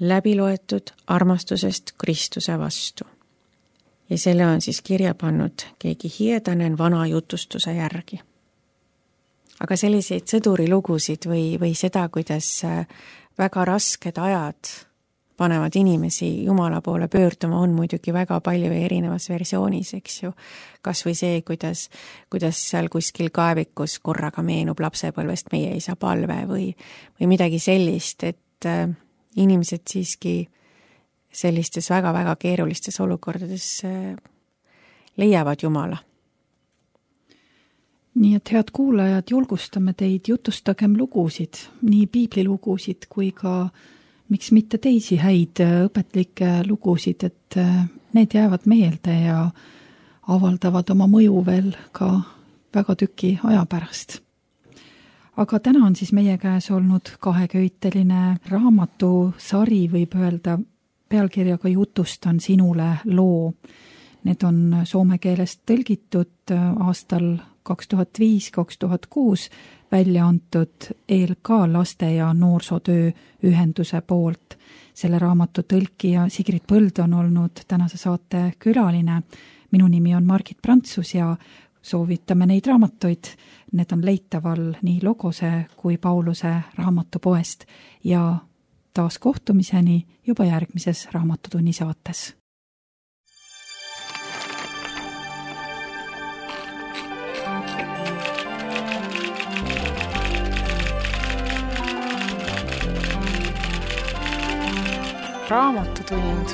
läbi loetud armastusest Kristuse vastu. Ja selle on siis kirja pannud keegi hiedane vana jutustuse järgi. Aga selliseid sõdurilugusid või seda, kuidas väga rasked ajad panevad inimesi Jumala poole pöörduma, on muidugi väga palju erinevas versioonis, eks ju. Kas või see, kuidas seal kuskil kaevikus korraga meenub lapsepõlvest meie isa palve või midagi sellist, et inimesed siiski sellistes väga-väga keerulistes olukordades leiavad Jumala. Nii et head kuulajad, julgustame teid, jutustagem lugusid, nii piiblilugusid kui ka miks mitte teisi häid õpetlikke lugusid, et need jäävad meelde ja avaldavad oma mõju veel ka väga tüki aja pärast. Aga täna on siis meie käes olnud kaheköiteline raamatusari, võib öelda, pealkirjaga Jutustan sinule loo. Need on soome keelest tõlgitud aastal 2005-2006 välja antud ELK laste- ja noorsootöö ühenduse poolt. Selle raamatu tõlkija Sigrid Põld on olnud tänase saate külaline. Minu nimi on Margit Prantsus ja soovitame neid raamatuid. Need on leitaval nii Logose kui Pauluse raamatupoest ja taas kohtumiseni juba järgmises Raamatutunni saates. Raamatutund.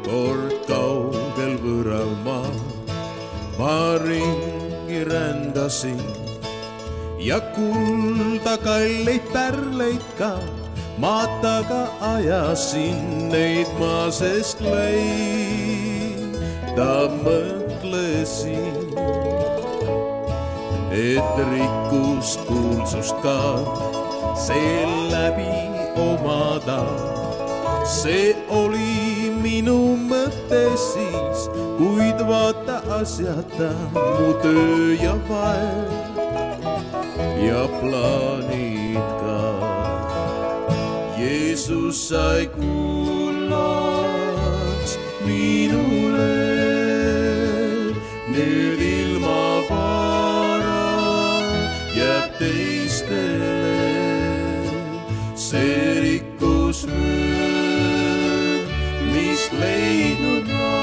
Kord kaugel võõral maal ma ringi rändasin ja kulda kalleid pärleid ka maataga ajasin, neid ma sest leida mõtlesin, et rikkust kuulsust ka seeläbi omada. See oli minu mõte siis, kuid vaata asjata mu töö ja vaev ja plaanid ka. Jeesus sai kullaks minule, nüüd ilma vara jääb teistele. See rikkus mis leidnud ma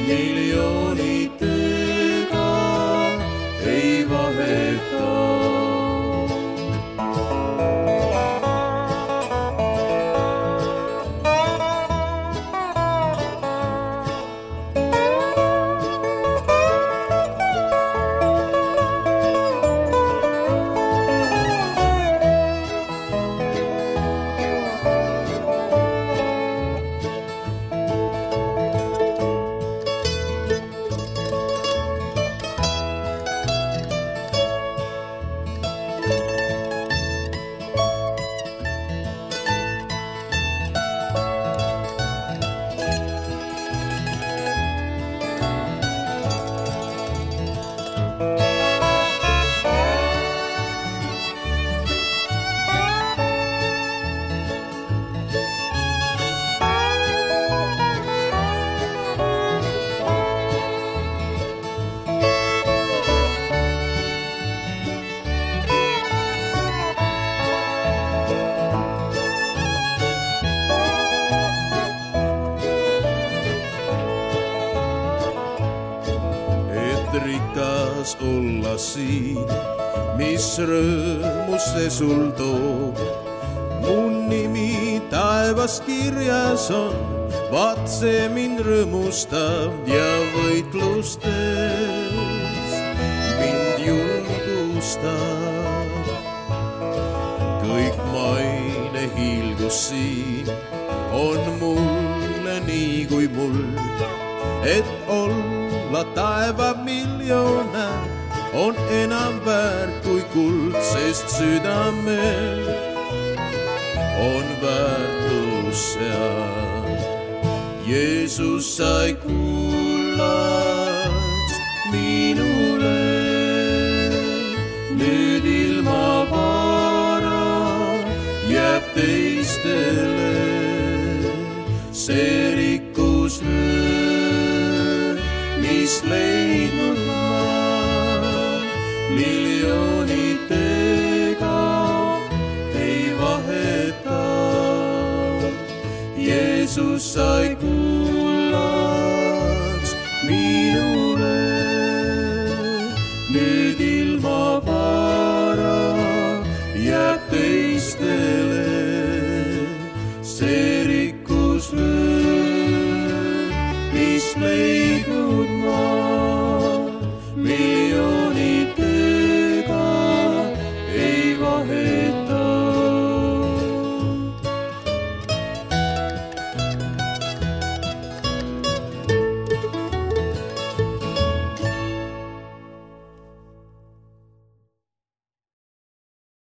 miljoonitega ei vaheta. olla siin, mis rõõmu see sul toob. Mu nimi taevas kirjas on, vaat see mind rõõmustab ja võitlustes mind julgustab. Kõik maine hiilgus siin on mulle nii kui mul, et olla taeva miljonär on enam väärt kui kuld, sest südamel on väärtus seal. Jeesus sai kullaks minule, nüüd ilma vara jääb teistele. See rikkus nüüd, mis leidnud ma miljonitega ei vaheta. Jeesus sai kullaks minule, nüüd ilma vara jääb teistele. See rikkus nüüd, mis leidnud ma